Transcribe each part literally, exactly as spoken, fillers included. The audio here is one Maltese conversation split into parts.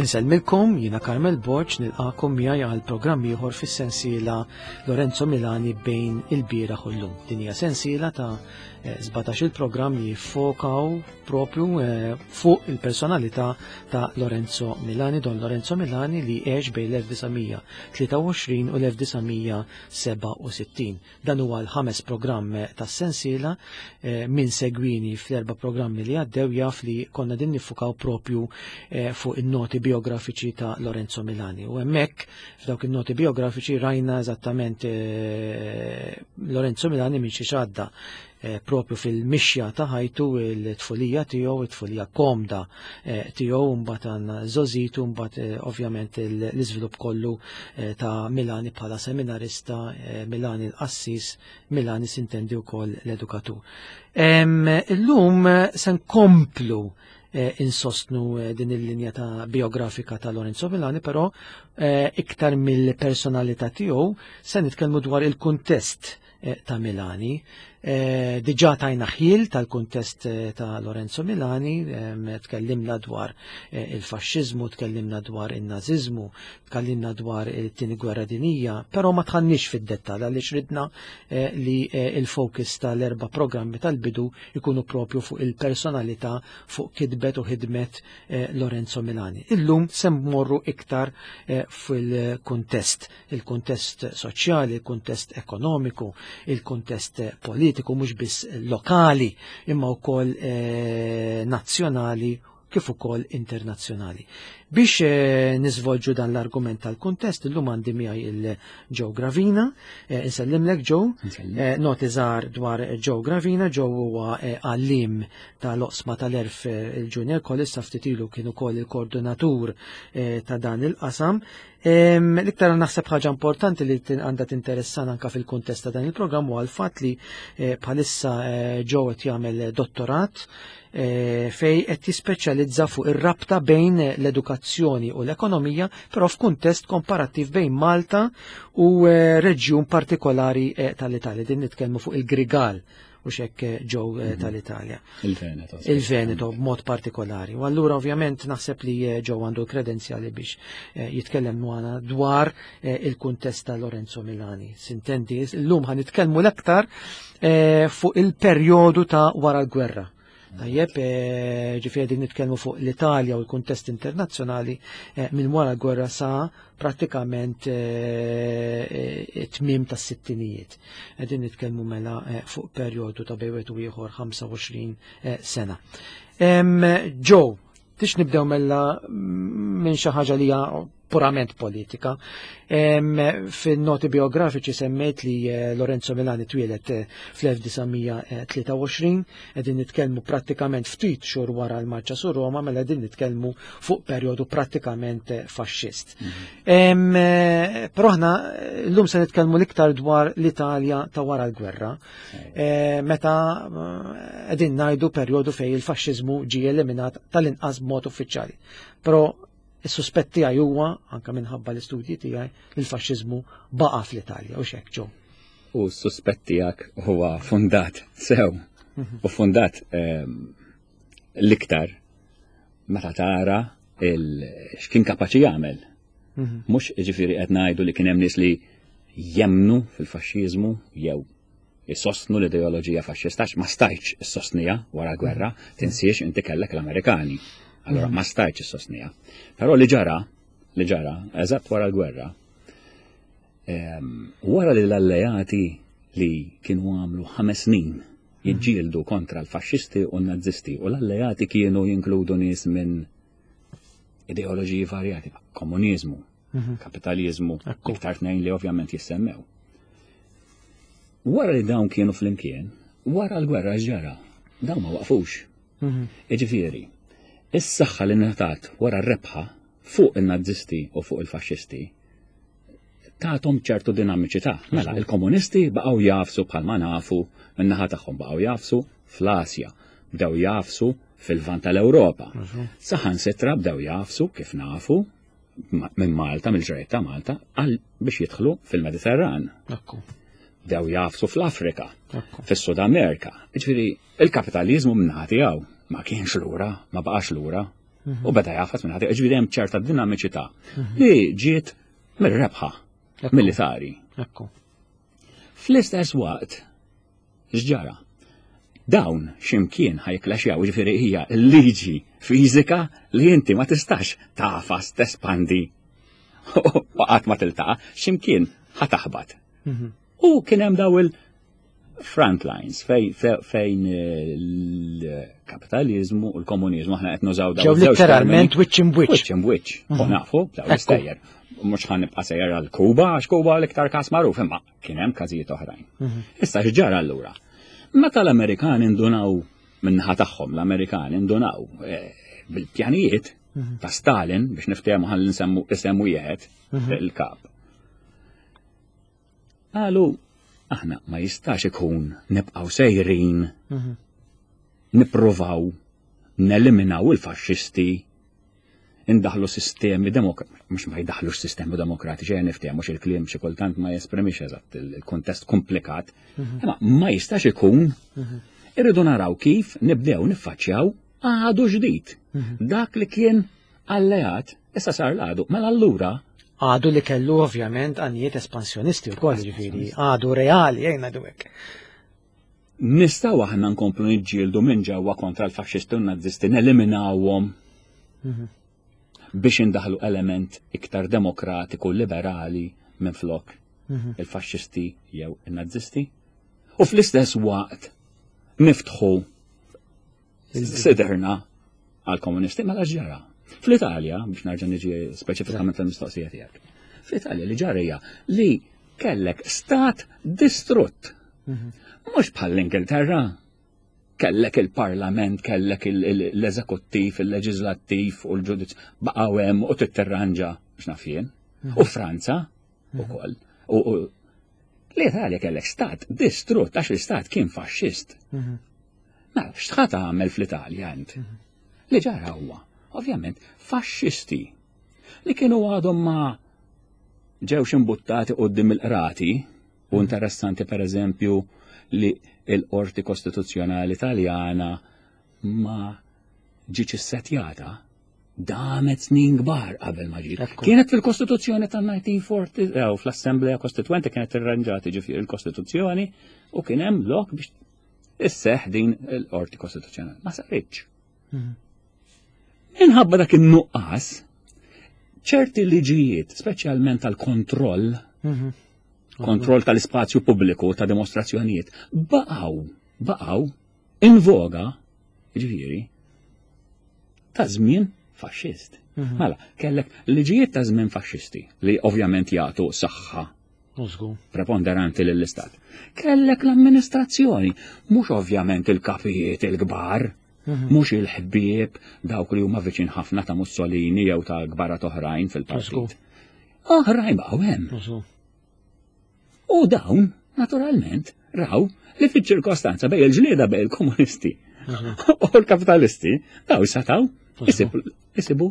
Insellmilkom, jiena Carmel Borg, nilqakom miegħi għal programm ieħor fis-sensiela Lorenzo Milani bejn il-bieraħ u llum. Din hija sensiela ta' sbatax il-programm li jiffokaw propju eh, fuq il-personalità ta' Lorenzo Milani, Don Lorenzo Milani li għex bejn l-elf disa' mija tlieta u għoxrin u l-elf disa' mija seba' u sittin. Dan huwa l-ħames programm tas-sensiela, eh, min segwini fl-erba' programmi li għaddew jaf li konna din nifukaw propju, eh, fuq in-noti biografiċi ta' Lorenzo Milani. U hemmhekk f'dawk in-noti biografiċi rajna eżattament, eh, Lorenzo Milani minn xi għadda, eh, propju fil-mixja ta' ħajtu, il-tfulija tiegħu, it-tfulija komda, eh, tiegħu, mbagħad għandna żożitu, mbagħad, eh, ovvjament il-, l-iżvilupp kollu, eh, ta' Milani bħala seminarista, eh, Milani l-qassis, Milani sintendi wkoll l-edukatur. Em, illum se nkomplu, eh, insostnu, eh, din il-linja ta' biografika ta' Lorenzo Milani, però, eh, iktar mill-personalità tiegħu se nitkellmu dwar il-kuntest, eh, ta' Milani. Eh, diġà tajna ħjiel tal-kuntest, eh, ta' Lorenzo Milani, ehm, tkellimna dwar, eh, il-faxxiżmu, tkellimna dwar in-naziżmu, tkellimna dwar it-tieni gwerra dinjija, però ma tħannix fid-dettall għaliex ridna, eh, li, eh, il-fokus tal-erba' programmi tal-bidu ikunu propju fuq il-personalità, fuq kitbet u ħidmet, eh, Lorenzo Milani. Illum se mmorru iktar, eh, fil-kuntest, il-kuntest soċjali, il-kuntest ekonomiku, il-kuntest politiku, mhux biss lokali imma wkoll, eh, nazzjonali kif ukoll internazzjonali. Biex, eh, niżvolġu dan l-argument tal-kuntest, illum għandi miegħi il-Joe Gravina, eh, insellimlek Joe. Insellim. Eh, noti żgħar dwar Joe Gravina. Joe huwa, eh, għallim tal-oqsma tal-erf, eh, il-Junior College, sa ftit ilu kien ukoll il-koordinatur, eh, ta' dan il-qasam. Em, l-iktar naħseb ħaġa importanti li tin-, għandha tinteressana anka fil-kuntest ta' dan il-programm huwa l-fatt li, eh, bħalissa, eh, Joe qed jagħmel dottorat, eh, fej qed jispeċjalizza fuq ir-rabta bejn l-edukazzjoni u l-ekonomija, però f'kuntest komparattiv bejn Malta u, eh, reġjun partikolari, eh, tal-Italja. Din nitkellmu fuq il-Grigal u xek, eh, Joe, eh, Mhm. tal-Italja. Il-Veneto, sì. Il-Veneto b'mod partikolari. U allura ovvjament naħseb li, eh, Joe għandu l-kredenzjali biex, eh, jitkellem magħna dwar, eh, il-kuntest ta' Lorenzo Milani. Sintendi, llum ħa nitkellmu l-aktar, eh, fuq il-perjodu ta' wara l-gwerra. Tajjeb, eh, ġifieri din nitkellmu fuq l-Italja u l-kuntest internazzjonali, eh, minn wara l-gwerra sa prattikament, eh, eh, tmiem tas-sittinijiet. Qegħdin nitkellmu mela, eh, fuq perjodu ta' bejn wieħed u ieħor ħamsa u għoxrin, eh, sena. Em, Joe, tix nibdew mela minn xi ħaġa li hija purament politika. Em, fin-noti biografiċi semmejt li, eh, Lorenzo Milani twieled, eh, fl-elf disa' mija tlieta u għoxrin, qegħdin nitkellmu prattikament ftit xhur wara l-marċa su Roma, mela qegħdin nitkellmu fuq perjodu prattikament, eh, faxxist. Mhm. Em, eh, però aħna, eh, llum se nitkellmu l-iktar dwar l-Italja ta' wara l-gwerra. Sewwa. Eh, meta, eh, qegħdin ngħidu perjodu fejn il-faxxiżmu ġie eliminat tal-inqas b'mod uffiċjali. Però is-suspett tiegħi huwa, anke minħabba l-istudji tiegħi, li l-faxxiżmu baqa' fl-Italja, u x'hekk, Joe? U s-suspett tiegħek huwa fundat sew, Mhm. u fundat, ehm, l-iktar meta tara il-, x'kien kapaċi jagħmel. Mhm. Mhux jiġifieri qed ngħidu li kien hemm nies li jemnu fil-faxxiżmu jew isostnu l-ideoloġija faxxista, għax ma stajtx issostnija wara l-gwerra, tinsiex inti kellek l-Amerikani. Allora, Mhm. ma stajtx issostnija. Però li ġara, li ġara, eżatt wara l-gwerra, ehm, wara li l-alleati li kienu għamlu ħames snin jiġġieldu kontra l-faxxisti u n-nazisti, u l-alleati kienu jinkludu nies minn ideoloġiji varjati, komuniżmu, Mhm. kapitalizmu, Ekku. iktar tnejn li ovvjament jissemmew. Wara li dawn kienu flimkien, wara l-gwerra ġara, dawn ma waqfux. Mhm. Jiġifieri, is-saħħa li ngħatat wara r-rebħa fuq in-nazisti u fuq il-faxxisti tagħhom ċertu dinamiċità. Mela, Mhux il-komunisti baqgħu jafsu bħalma nafu, min-naħa tagħhom baqgħu jafsu fl-Asja, bdew jafsu fil-Lvant tal-Ewropa. Mhux. Saħansitra bdew jafsu kif nafu ma-, minn Malta, mill-ġrajt ta' Malta, għal biex jidħlu fil-Mediterran. Ekku. Bdew jafsu fl-Afrika, Ekku. fis-Sud Amerika. Jiġifieri, il-kapitalizmu min-naħa tiegħu ma kienx lura, ma baqax lura. U beda jagħfas minn ħadd, ġifieri hemm ċerta dinamiċità li ġiet mir-rebħa militari. Fl-istess waqt, x'ġara? Dawn x'imkien ħa jikklaxjaw, ġifieri hija l-liġi fiżika li inti ma tistax tagħfas tespandi u qatt ma tiltaqa', x'imkien ħa taħbat. U kien hemm daw il-front lines fejn il-kapitalizmu u l-komunizmu, aħna qed nużaw daw. Ġew literalment wiċċ imwiċċ. Wiċċ imwiċċ. U nafu, daw l-istejjer. Mhux ħa nibqa' sejjer għal Kuba, għax Kuba l-iktar każ magħruf, imma kien hemm każijiet oħrajn. Issa x'ġara allura? Meta l-Amerikani ndunaw min-naħa tagħhom, l-Amerikani ndunaw bil-pjanijiet ta' Stalin, biex niftehmu ħalli nsemmu isem wieħed il-kap. Qalu, aħna ma jistax ikun nibqgħu sejrin nippruvaw neliminaw il-faxxisti, indaħlu sistemi demokratiċi, mhux ma jdaħlux sistemi demokratiċi, ejja niftehmu il-kliem xi kultant ma jesprimix eżatt il-kontest komplikat, imma ma jistax ikun, irridu naraw kif nibdew niffaċċjaw għadu ġdid. Dak li kien alleat, issa sar l-għadu, mela allura għadu li kellu ovvjament għanijiet espansjonisti u koll, ġifieri, għadu reali, jgħina hekk. Nistgħu aħna nkomplu niġġieldu minn ġewwa kontra l-faxxisti u n-nazisti, neliminawhom biex indaħlu element iktar demokratiku, liberali minn flok il-faxxisti jew il-nazisti. U fl-istess waqt niftħu siderna għal-komunisti, mela ġara. Fl-Italja, biex narġa' niġi speċifikament l-mistoqsija tiegħek. Fl-Italja li ġara hija li kellek stat distrutt. Mhux bħall-Ingilterra. Kellek il-parlament, kellek l-eżekuttiv, il-leġislattiv u l-ġudizzju baqgħu hemm u titterranġa x'naf jien. U Franza ukoll. U l-Italja kellek stat distrutt għax l-istat kien faxxist. Mela, x'ħa tagħmel fl-Italja int? Li ġara huwa, ovvjament, faxxisti li kienu għadhom ma ġewx imbuttati quddiem il-qrati, u interessanti per eżempju li l-Qorti Kostituzzjonali Taljana ma ġietx issetjata, damet snin kbar qabel ma ġiet. Kienet fil-Kostituzzjoni tan-mil disa' mija u erbgħa u erbgħin, fl-Assemblea Kostituenti kienet irranġati ġifieri il-Kostituzzjoni u kien hemm lok biex isseħ din il-Qorti Kostituzzjonali. Ma saritx. Minħabba dak in-nuqqas, ċerti liġijiet, speċjalment tal-kontroll, kontroll tal-ispazju pubbliku ta' dimostrazzjonijiet, baqgħu, baqgħu in voga, ġifieri, ta' żmien faxxist. Mela, kellek liġijiet ta' żmien faxxisti li ovvjament jagħtu saħħa preponderanti lill-istat. Kellek l-amministrazzjoni, mhux ovvjament il-kapijiet il-kbar, mhux il-ħbieb dawk li huma viċin ħafna ta' Mussolini jew ta' kbarat oħrajn fil-partit. Oħrajn baqgħu hemm. U dawn, naturalment, raw li fiċ-ċirkostanza bejn il-ġlieda bejn il-komunisti u l-kapitalisti, daw setaw isibu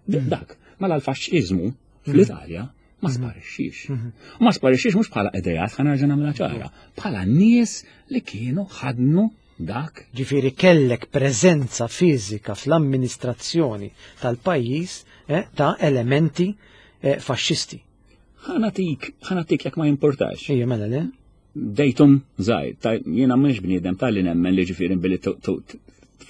dak. Mela l-faxxiżmu fl-Italja ma sparixxix. U ma sparixxix mhux bħala idejat, ħa nerġa' nagħmilha ċara, bħala nies li kienu ħadnu dak. Ġifieri kellek preżenza fiżika fl-amministrazzjoni tal-pajjiż eh, ta' elementi eh, faxxisti. Ħa nagħtik, ħa nagħtik jekk ma jimportax. Ejja, mela le? Datum żgħir, jiena mhux bniedem tal-li nemmen li ġifieri billi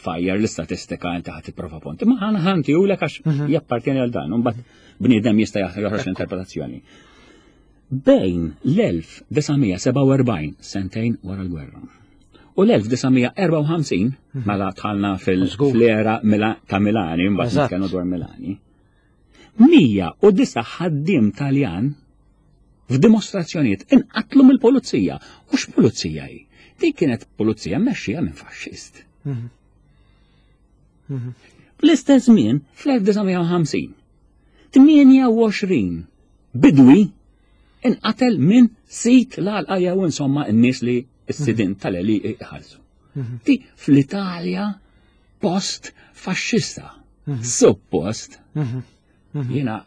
tfajjar l-istatistika inti ħadd tipprova punt. Ma ħana ħanti u għax jappartjeni għal dan, mbagħad bniedem jista' joħroġ l-interpretazzjoni. Bejn l-elf disa' mija sebgħa u erbgħin, sentejn wara l-gwerra, u l-elf disa' mija erbgħa u ħamsin, mela dħalna fil-era ta' Milani, mbagħad nitkellmu dwar Milani, mija u disa' ħaddiem Taljan f'dimostrazzjonijiet inqatlu mill-pulizija. U x'pulizija hi? Dik kienet pulizija mmexxija minn faxxist. Fl-istess żmien, fl-elf disa' mija u ħamsin, tmienja u għoxrin bidwi inqatel minn sid l-għalqa jew insomma n-nies li s-sidin tal-għelieqi iħallsu. Di fl-Italja post faxxista. Suppost, jiena,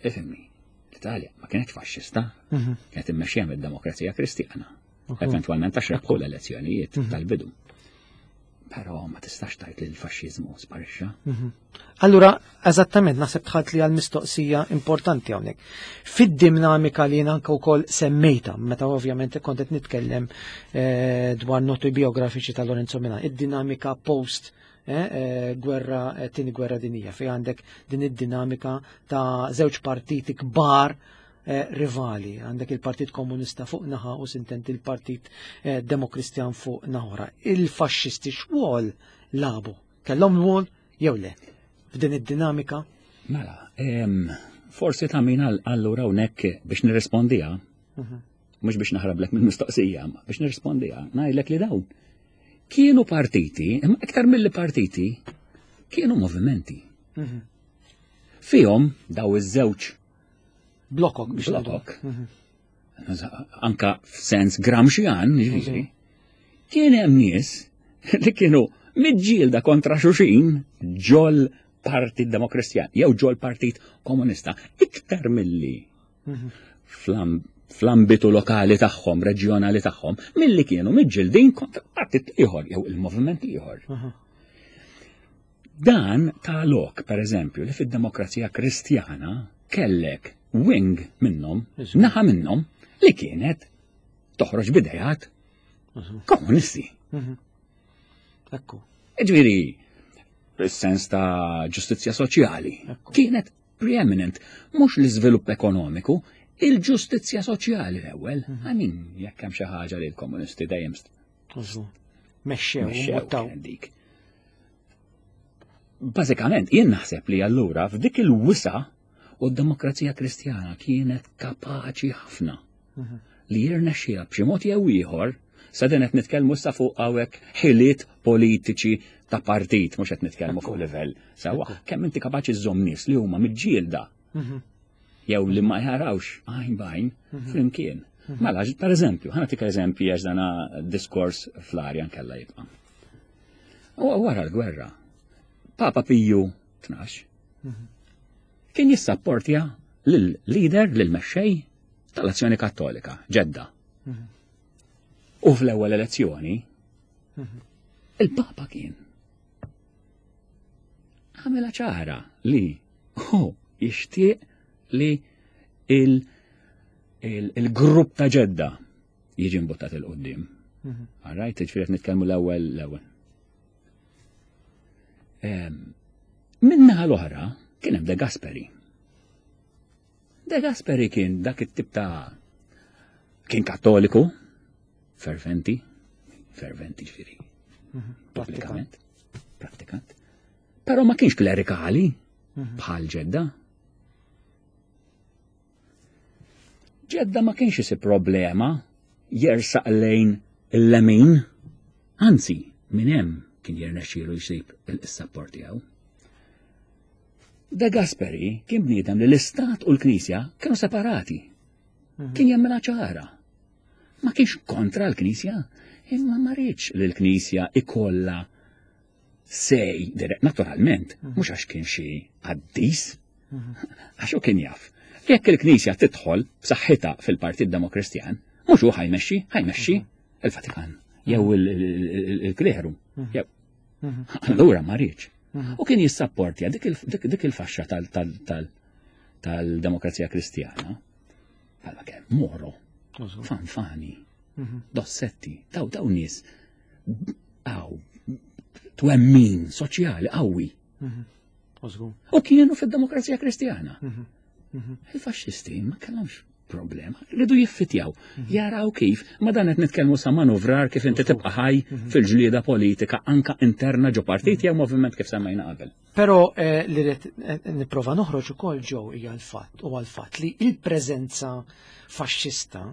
ifhimni, l-Italja ma kienet faxxista, kienet immexxija mid-demokrazija kristjana. Eventualment għax rebħu l-elezzjonijiet tal-bidu. Però ma tistax tgħid li l-faxxiżmu sparixxa. Mhm. Allura, eżattament, naħseb dħalt li għal-mistoqsija importanti hawnhekk. Fid-dinamika li jien anke wkoll semmejta, meta ovvjament kont qed nitkellem eh, dwar noti biografiċi ta' Lorenzo Milani, id-dinamika post eh, eh, gwerra, eh, tieni gwerra dinija, fej għandek din id-dinamika ta' żewġ partiti kbar eh, rivali, għandek il-Partit Komunista fuq naħa u sintent il-Partit eh, Demokristjan fuq naħa. Il-faxxisti x'rwol lagħbu? Kellhom rwol jew le? F'din id-dinamika? Mela, em, forsi ta' min għal- allura hawnhekk biex nirrispondiha, mhux biex naħrablek mill-mistoqsija, ma biex nirrispondiha, ngħidlek li dawn kienu partiti, imma iktar mill partiti, kienu movimenti. Fihom daw iż-żewġ Blokok biex ngħidu. blokok, anka f'sens Gramscian, ġifieri, kien hemm nies li kienu miġġielda kontra xulxin ġol Partit Demokristjan jew ġol Partit Komunista iktar milli fl-am- fl-ambitu lokali tagħhom, reġjonali tagħhom, milli kienu miġġildin kontra partit ieħor jew il-moviment ieħor. Dan ta lok, per eżempju, li fid-demokrazija kristjana kellek wing minnhom, naħa minnhom, li kienet toħroġ b'ideat komunisti. Ekku. Ġifieri, fis-sens ta' ġustizzja soċjali, Ekku. kienet preeminent, mhux l-iżvilupp ekonomiku, il-ġustizzja soċjali l-ewwel. I mean, jekk hemm xi ħaġa li l-komunisti dejjem Mexxew, mexxew mbuttaw. kienet dik. Bażikament, jien naħseb li allura f'dik il-wisa u d-demokrazija kristjana kienet kapaċi ħafna li jirnexxiha b'xi mod jew ieħor sa din qed nitkellmu issa fuq hawnhekk ħiliet politiċi ta' partit, mhux qed nitkellmu fuq livell. Sewwa, kemm inti kapaċi żżomm nies li huma miġġielda jew li ma jarawx għajn b'għajn flimkien. Mela, per eżempju, ħa nagħtik eżempju għax dana diskors fl-arja nkella jibqa'. U wara l-gwerra, Papa Piju tnax kien jissapportja lil-leader, lil-mexxej tal-Azzjoni Kattolika, Ġedda. U fl-ewwel elezzjoni, il-Papa kien għamela ċara li hu jixtieq li il- il- il-grupp ta' Ġedda jiġi mbuttat 'il quddiem. All right, ġifieri qed nitkellmu l-ewwel l-ewwel. Min-naħa l-oħra kien hemm De Gasperi. De Gasperi kien dak it-tip ta' kien kattoliku, ferventi, ferventi ġifieri, pubblikament, prattikant. Però ma kienx klerikali bħal Ġedda. Ġedda ma kienx isib problema jersaq lejn il-lemin, anzi, minn hemm kien jirnexxielu jsib il-support tiegħu. De Gasperi kien bniedem li l-Istat u l-Knisja kienu separati. Kien jemmenha ċara. Ma kienx kontra l-Knisja, imma ma riedx li l-Knisja ikolla sej, dirett, naturalment, mhux għax kien xi qaddis, għax hu kien jaf. Jekk il-Knisja tidħol b'saħħitha fil-Partit Demokristjan, mhux hu ħa jmexxi, ħa jmexxi il-Vatikan jew il-kleru. Jew. Allura ma riedx. U kien jissapportja dik il- dik dik il-faxxa tal-demokrazija kristjana. Bħalma kien Moro, Fanfani, Dossetti, daw daw nies għaw twemmin soċjali qawwi. U kienu fid-demokrazija kristjana. Il-faxxisti ma kellhomx problema, rridu jiffitjaw, jaraw kif, ma dan qed nitkellmu sa manuvrar kif inti tibqa' ħaj fil-ġlieda politika anka interna ġo partit jew moviment kif semmejna qabel. Però eh, li rrid eh, nipprova noħroġ ukoll ġew hija l-fatt u għal-fatt li il-preżenza faxxista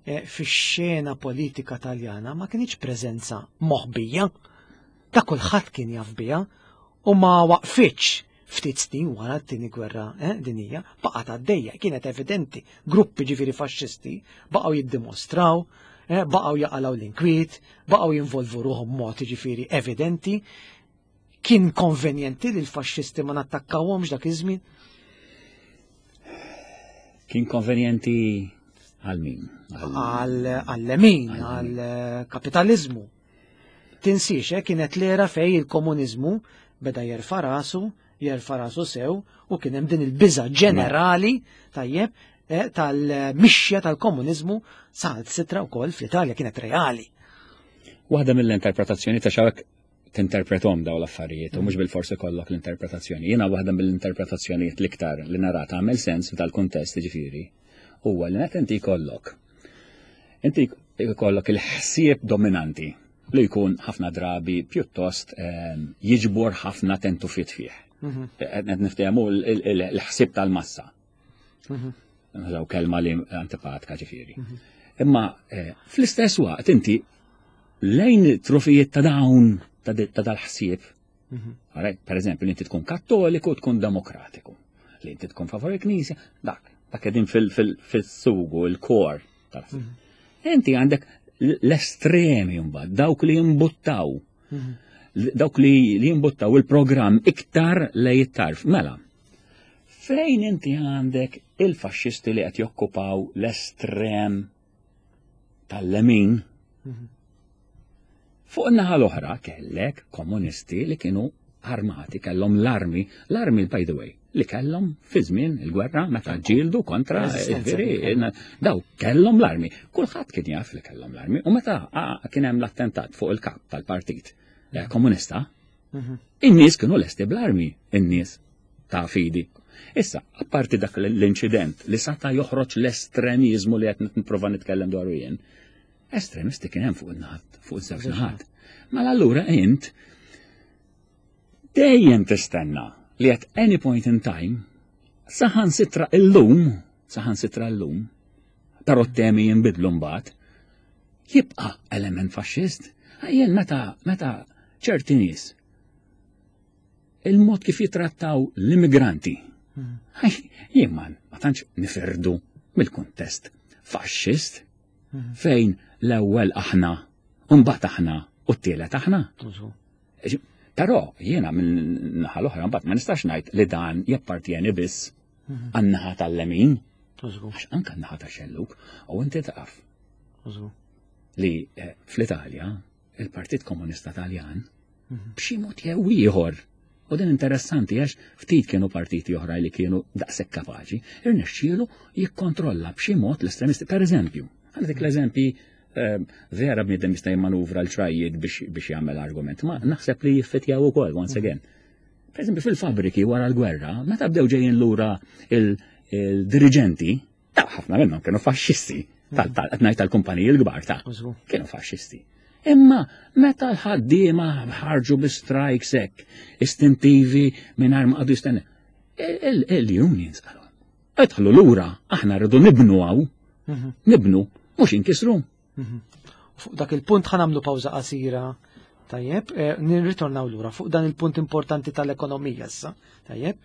eh, fix-xena politika taljana ma kienx preżenza moħbija, ta' kulħadd kien jaf biha u ma waqfitx ftit snin wara t-tieni gwerra eh, dinija, baqgħet għaddejja, kienet evidenti. Gruppi ġifieri faxxisti baqgħu jiddimostraw, eh, baqgħu jaqalgħu l-inkwiet, baqgħu jinvolvu ruħhom mod ġifieri evidenti. Kien konvenjenti li l-faxxisti ma nattakkawhomx dak iż-żmien? Kien konvenjenti għal min? Għal-lemin, għal-kapitalizmu. Tinsiex, eh, kienet l-era fej il-komuniżmu beda jerfa' rasu, jerfa' rasu sew, u kien hemm din il-biża' ġenerali, tajjeb, eh, tal-mixja tal-komuniżmu sal-sitra wkoll fl-Italja kienet reali. Waħda mill-interpretazzjoni ta' xawek tinterpretom daw l-affarijiet u mhux bil-forsi kollok l-interpretazzjoni. Jiena waħda mill-interpretazzjonijiet l-iktar li nara tagħmel sens f'dal-kuntest ġifieri huwa li meta inti jkollok inti jkollok il-ħsieb dominanti li jkun ħafna drabi pjuttost ehm, jiġbor ħafna tentufit fih. Mhm. Qed niftehmu l-ħsieb tal-massa. Mhm. Nużaw kelma li antipatka ġifieri. Mhm. Imma eh, fl-istess waqt inti lejn trufijiet ta' dawn ta' dal-ħsieb. Mhm. Per eżempju, li inti tkun kattoliku, tkun demokratiku. Li inti tkun favor il-Knisja, dak, dak qegħdin fil-sugu, il-kor tal-ħsieb. Mhm. Inti għandek l-estremi mbagħad, dawk li jimbuttaw. Mhm. Dawk li jimbuttaw il-programm iktar lej it-tarf. Mela, fejn inti għandek il-faxxisti li qed jokkupaw l-estrem tal-lemin, fuq in-naħa l-oħra kellek komunisti li kienu armati, kellhom l-armi, l-armi by the way, li kellhom fi żmien il-gwerra meta ġġieldu kontra daw kellhom l-armi. Kulħadd kien jaf li kellhom l-armi u meta kien hemm l-attentat fuq il-kap tal-partit eh, komunista, mhm. in-nies kienu lesti bl-armi, in-nies ta' fidi. Issa, apparti dak l-inċident li sata joħroġ l-estremizmu li qed nipprova nitkellem dwaru jien, estremisti kien hemm fuq il-naħat, fuq iż-żewġ naħat. Mela allura int dejjem tistenna li at any point in time saħan sitra illum, saħan sitra illum, però t-temi jinbidlu mbagħad, jibqa' element faxxist. Jien meta meta ċerti nies il-mod kif jitrattaw l-immigranti. Hmm. Jien ma tantx nifirdu mill-kuntest faxxist hmm. fejn l-ewwel aħna, u mbagħad aħna u t-tielet aħna. Però jiena minn naħa l-oħra mbagħad ma nistax ngħid li dan jappartjeni biss mhm. għan-naħa tal-lemin. Għax anke n-naħa tax-xellug u inti taf. Li eh, fl-Italja il-Partit Komunista Taljan mhm. b'xi mod jew ieħor u din interessanti għax ftit kienu partiti oħra li kienu daqshekk kapaċi, irnexxielu jikkontrolla b'xi mod l-estremisti. Per eżempju, għandek l-eżempji eh, vera bniedem jista' jimmanuvra l-ċrajiet biex jagħmel argument, ma naħseb li jiffitjaw ukoll once again. Per eżempju, fil-fabriki wara l-gwerra, meta bdew ġejjin lura il-dirigenti, ta' ħafna minnhom kienu faxxisti, tal tal-kumpaniji l-kbar ta' kienu faxxisti. Imma meta l-ħaddiema ħarġu bi strikes hekk, istintivi mingħajr ma qagħdu jistennew, il-unions qalu. Idħlu lura, aħna rridu nibnu hawn, mhm. nibnu, mhux inkisru. Mhm. Fuq dak il-punt ħa nagħmlu pawża qasira. Tajjeb, eh, nirritornaw lura fuq dan il-punt importanti tal-ekonomija issa. Tajjeb.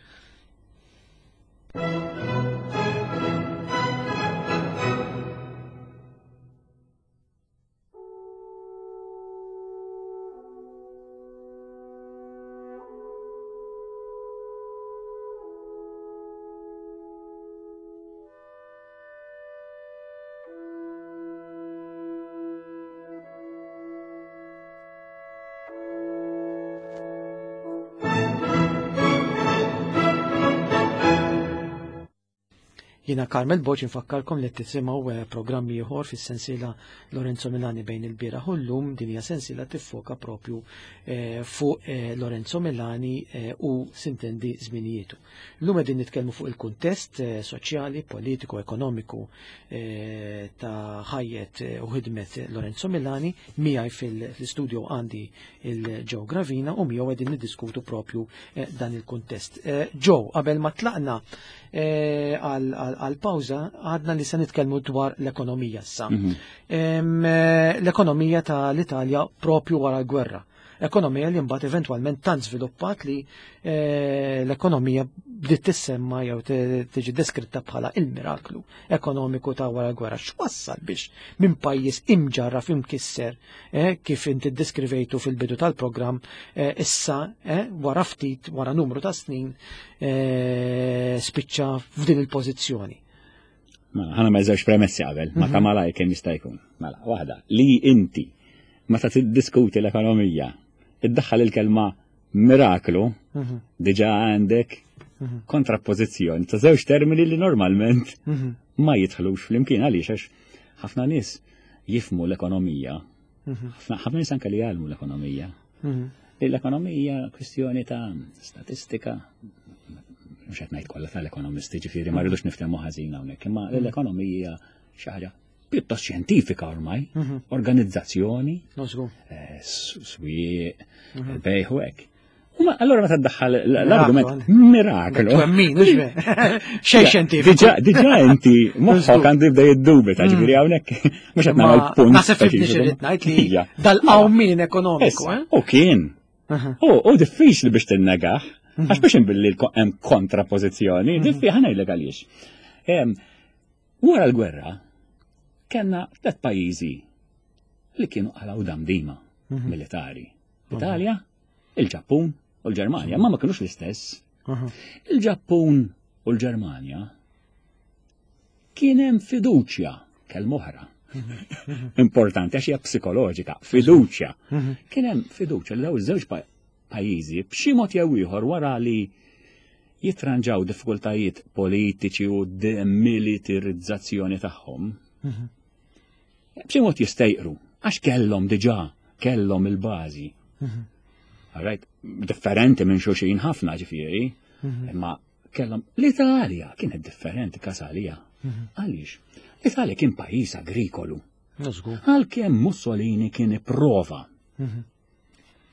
Jiena Carmel Boċ infakkarkom li tisimgħu eh, programmi ieħor fis-sensiela Lorenzo Milani bejn il-bieraħ u llum. Din hija sensiela tiffoka propju eh, fuq eh, Lorenzo Milani u sintendi żminijietu. Illum qegħdin nitkellmu fuq il-kuntest soċjali, politiku, ekonomiku ta' ħajjet u ħidmet Lorenzo Milani. Miegħi fil-studio għandi il-Joe Gravina u miegħu qegħdin niddiskutu propju dan il-kuntest. Joe, qabel ma tlaqna għal pawża għadna li se nitkellmu dwar l-ekonomija issa. Mhm. L-ekonomija tal-Italja propju wara l-gwerra. Ekonomija li mbagħad eventwalment tant żviluppat li eh, l-ekonomija bdiet tissemma jew tiġi deskritta bħala il-miraklu ekonomiku ta' wara l-gwerra. X'wassal biex minn pajjiż imġarraf imkisser eh, kif inti ddeskrivejtu fil-bidu tal-programm eh, issa wara ftit wara numru ta' snin spiċċa f'din il-pożizzjoni. Mela, ħana ma żewġ premessi qabel, ma ta' mhm. malaj kemm jista' jkun. Mela, waħda, li inti meta tiddiskuti l-ekonomija, iddaħħal il-kelma miraklu, Mhm. diġà għandek Mhm. kontrappożizzjoni ta' żewġ termini li normalment Mhm. ma jidħlux flimkien. Għaliex? Għax ħafna nies jifhmu l-ekonomija, Mhm. ħafna ħafna nies anke li jgħallmu l-ekonomija. Mhm. Li l-ekonomija kwistjoni ta' statistika, mhux qed ngħid kollha tal-ekonomisti, ġifieri ma rridux niftehmu ħażin hawnhekk, imma l-ekonomija xi ħaġa pjuttost xjentifika ormai, Mhm. organizzazzjoni, No, żgur. eh, s- swieq, bejħ u hekk. U ma- Allora meta ddaħħal l-argument miraklu. Twemmin, mhux ver. Xejn xjentifiku. Diġà diġà inti moħħok Żgur. għandu jibda jiddubita, ġifieri hawnhekk mhux qed nagħmel punt. Naħseb fimni speċifiku. x'irrid ngħid li Ija. dal-qawmien ekonomiku, Issa, eh? U kien. Aha. U u diffiċli biex tinnegah, għax biex inbilli l- hemm kontrapożizzjoni, diffi ħa ngħidlek għaliex. Em, Wara l-gwerra, kellna tliet pajjiżi li kienu qalgħu damdima militari. L-Italja, il-Ġappun u l-Ġermanja, ma ma kienux l-istess. Aha. Il-Ġappun u l-Ġermanja kien hemm fiduċja, kelma oħra. Importanti għax hija psikoloġika, fiduċja. Kien hemm fiduċja li dawn iż-żewġ pa- pajjiżi b'xi mod jew ieħor wara li jitranġaw diffikultajiet politiċi u demilitarizzazzjoni tagħhom, b'xi mod jistejqru għax kellhom diġà kellhom il-bażi. All right, differenti minn xulxin ħafna ġifieri, imma kellhom l-Italja kienet differenti kasalija. Għaliex? L-Italja kien pajjiż agrikolu. No, żgur. Għalkemm Mussolini kien ipprova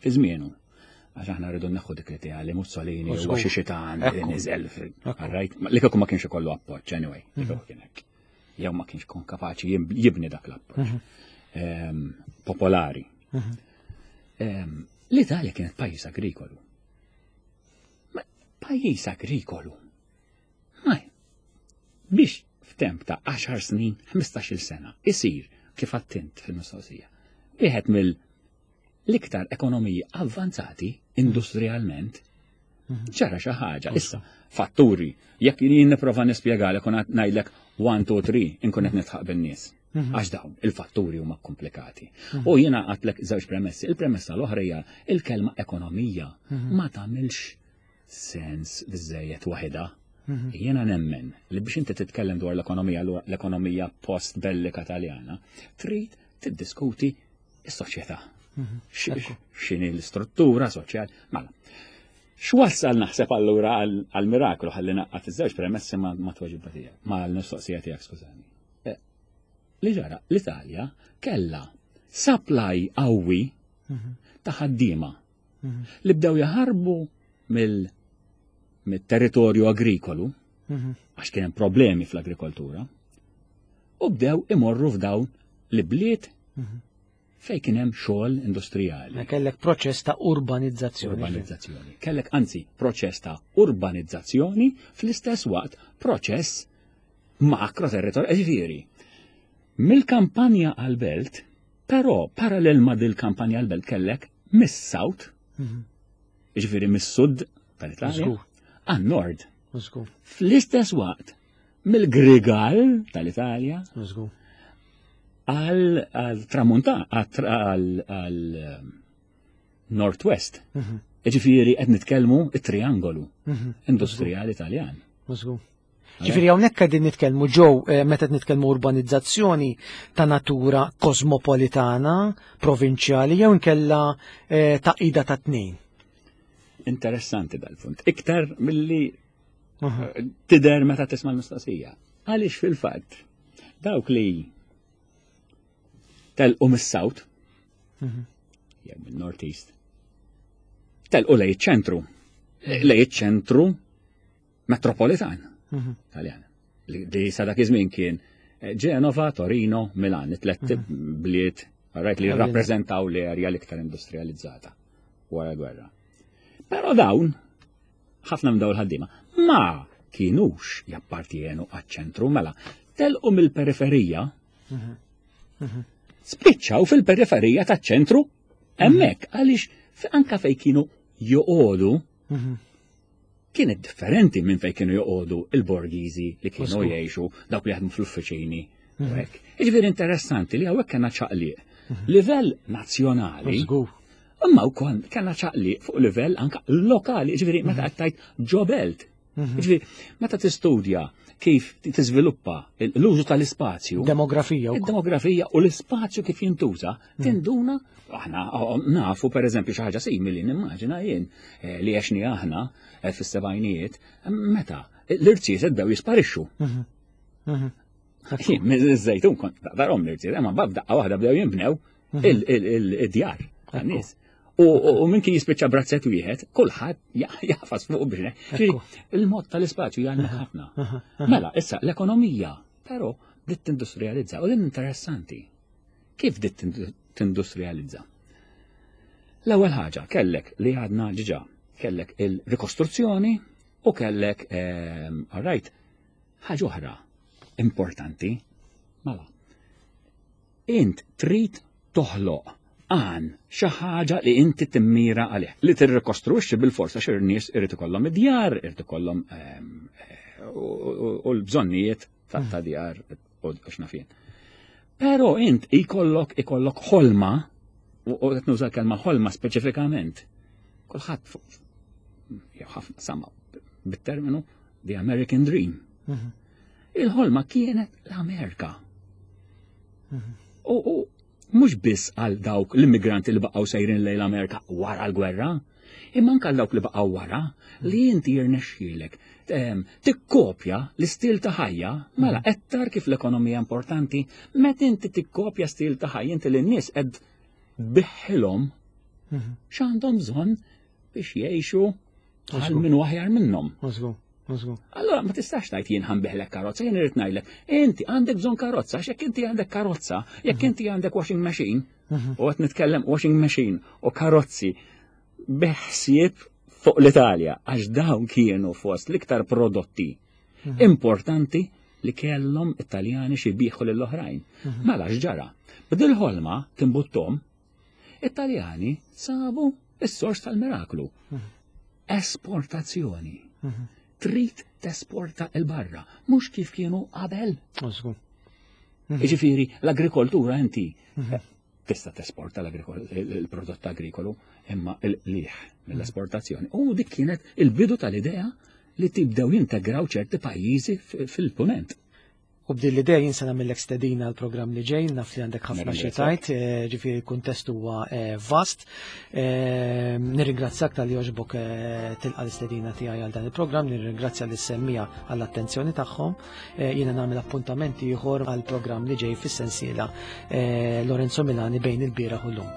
fi żmienu. Għax aħna rridu neħħu dik l-idea li Mussolini Żgur. huwa xi xitan li Ekku. niżel Ekku. All right? Li kieku ma kienx ikollu appoġġ anyway, li kieku kien hekk. Jew ma kienx kun kapaċi jib- jibni dak l-appoġġ. Ehm, Popolari. Ehm, L-Italja kienet pajjiż agrikolu. Ma pajjiż agrikolu. Ma biex f'temp ta' għaxar snin, ħmistax-il sena, isir kif għedt int fil-mistoqsija. Wieħed mill l-iktar ekonomiji avvanzati industrialment ġara xi ħaġa. Issa, fatturi, jekk jien nipprova nispjegalek u ngħidlek one, two, three, inkun qed nidħaq bin-nies. Għax dawn il-fatturi huma komplikati. U jiena għedtlek żewġ premessi. Il-premessa l-oħra hija il-kelma ekonomija ma tagħmilx sens biżejjed waħedha. Jiena nemmen li biex inti titkellem dwar l-ekonomija, l-ekonomija post-bellika Taljana, trid tiddiskuti is-soċjetà. X'inhi l-istruttura soċjali. Mela, x'wassal naħseb allura għal-miraklu ħalli ngħaqqad iż-żewġ premessi ma ma tweġiba tiegħek, ma l-mistoqsija tiegħek, skużani. Eh, Li ġara, l-Italja kella supply qawwi ta' ħaddiema li bdew jaħarbu mill mit-territorju agrikolu, għax kien hemm problemi fl-agrikoltura, u bdew imorru f'dawn l-ibliet fej kien hemm xogħol industrijali. Ma kellek proċess ta' urbanizzazzjoni. Urbanizzazzjoni. Kellek anzi proċess ta' urbanizzazzjoni, fl-istess waqt proċess makro territorju. Ġifieri, mill-kampanja għal-belt, però parallel ma' dil-kampanja għal-belt kellek mis-south, ġifieri mis-sud tal-Italja, Żgur. għan-nord. Żgur, Fl-istess waqt, mill-Grigal tal-Italja żgur. għal tramunta, għal għal Northwest. Ġifieri qed nitkellmu it-triangolu industrijali Taljan. Żgur. Ġifieri hawnhekk qegħdin nitkellmu ġew eh, meta qed nitkellmu urbanizzazzjoni ta' natura kosmopolitana, provinċjali jew inkella eh, taqida ta' tnejn. Interessanti dal-punt. Iktar milli eh, tidher meta tisma' l-mistoqsija. Għaliex fil-fatt dawk li telqu mis-South jew min-North East telqu lejn iċ-ċentru. Lejn iċ-ċentru metropolitan Taljan. Li li sa dak iż-żmien kien eh, Genova, Torino, Milan, it-tlet bliet right, li rappreżentaw l-erja l-iktar industrializzata wara l-gwerra. Però dawn, ħafna minn dawn il-ħaddiema, ma kienux jappartienu għaċ-ċentru, mela telqu mill-periferija, spiċċaw fil-periferija taċ-ċentru hemmhekk, għaliex fi- anka fej kienu joqogħdu kienet differenti minn fej kienu joqogħdu il-borgiżi li kienu Żgur. jgħixu dawk li jaħdmu fl-uffiċini. u hekk. Jiġifieri interessanti li hawnhekk kellna ċaqliq Livell nazzjonali. Imma wkoll kellna ċaqliq fuq livell anka lokali, ġifieri meta qed tgħid ġo belt. Ġifieri meta tistudja kif tiżviluppa l-użu tal-ispazju. Demografija. Id-demografija u l-ispazju kif jintuża, tinduna, aħna nafu per eżempju xi ħaġa simili nimmaġina jien eh, li għexni aħna eh, fis-sebgħinijiet, meta l-irziezet bdew jisparixxu. Iż-Żejtun kont darhom l-irziezet, imma b'daqqa waħda bdew jinbnew il-djar tan-nies. U minn kien jispiċċa b'razzett wieħed, kulħadd jafas fuq biex. Il-mod tal-ispazju jgħallmek ħafna. Mela, issa l-ekonomija, però bdiet tindustrializza u din interessanti. Kif bdiet tindustrializza? L-ewwel ħaġa kellek li għadna ġiġa, kellek il-rikostruzzjoni u kellek, ehm, all right, ħaġa oħra importanti. Mela, int trid toħloq għan xi ħaġa li inti timmira għalih. Li tirrikostruixxi bil-forsa xi nies irid ikollhom id-djar, irid ikollhom ehm, u l-bżonnijiet ta' djar u x'naf jien. Però int ikollok ikollok ħolma, u qed nuża kelma ħolma speċifikament. Kulħadd jew ħafna sama bit-terminu The American Dream. Mhm. Il-ħolma kienet l-Amerika. Mhm. U mhux biss għal dawk l-immigranti li baqgħu sejrin lejn l-Amerika wara l-gwerra, imma anke għal dawk li baqgħu wara li inti jirnexxielek tikkopja l-istil ta' ħajja, mela qed tara kif l-ekonomija importanti, meta inti tikkopja stil ta' ħajja inti lin-nies qed tbigħilhom mhm. x'għandhom bżonn biex jgħixu għal min aħjar minnhom. Allora ma tistax tgħid jien ħa nbigħlek karozza, jien irid ngħidlek, inti għandek bżonn karozza, għax jekk inti għandek karozza, jekk mhm. inti għandek washing machine, mhm. u qed nitkellem washing machine u karozzi beħsieb fuq l-Italja, għax dawn kienu fost l-iktar prodotti mhm. importanti li kellhom Italjani xi jbigħu lill-oħrajn. Mela x'ġara? B'dil-ħolma timbuttom, Italjani sabu is-sors tal-miraklu. Esportazzjoni. Trid tesporta 'l barra, mhux kif kienu qabel. Ġifieri, l-agrikoltura inti mhm. tista' tesporta l-prodott agrikolu imma l-liħ mill-esportazzjoni. U dik kienet il-bidu tal-idea li tibdew jintegraw ċerti pajjiżi fil-punent. U b'din l-idea jien se nagħmellek stedina għal programm li ġej, naf li għandek ħafna xi tgħid, eh, ġifieri l-kuntest huwa eh, vast. Eh, nirringrazzjak talli għoġbok tilqa l-istedina tiegħi għal dan il-programm, nirringrazzja lis-semmiegħa għall-attenzjoni tagħhom. Jiena nagħmel appuntament ieħor għal programm li ġej fis-sensiela Lorenzo Milani bejn il-bieraħ u llum.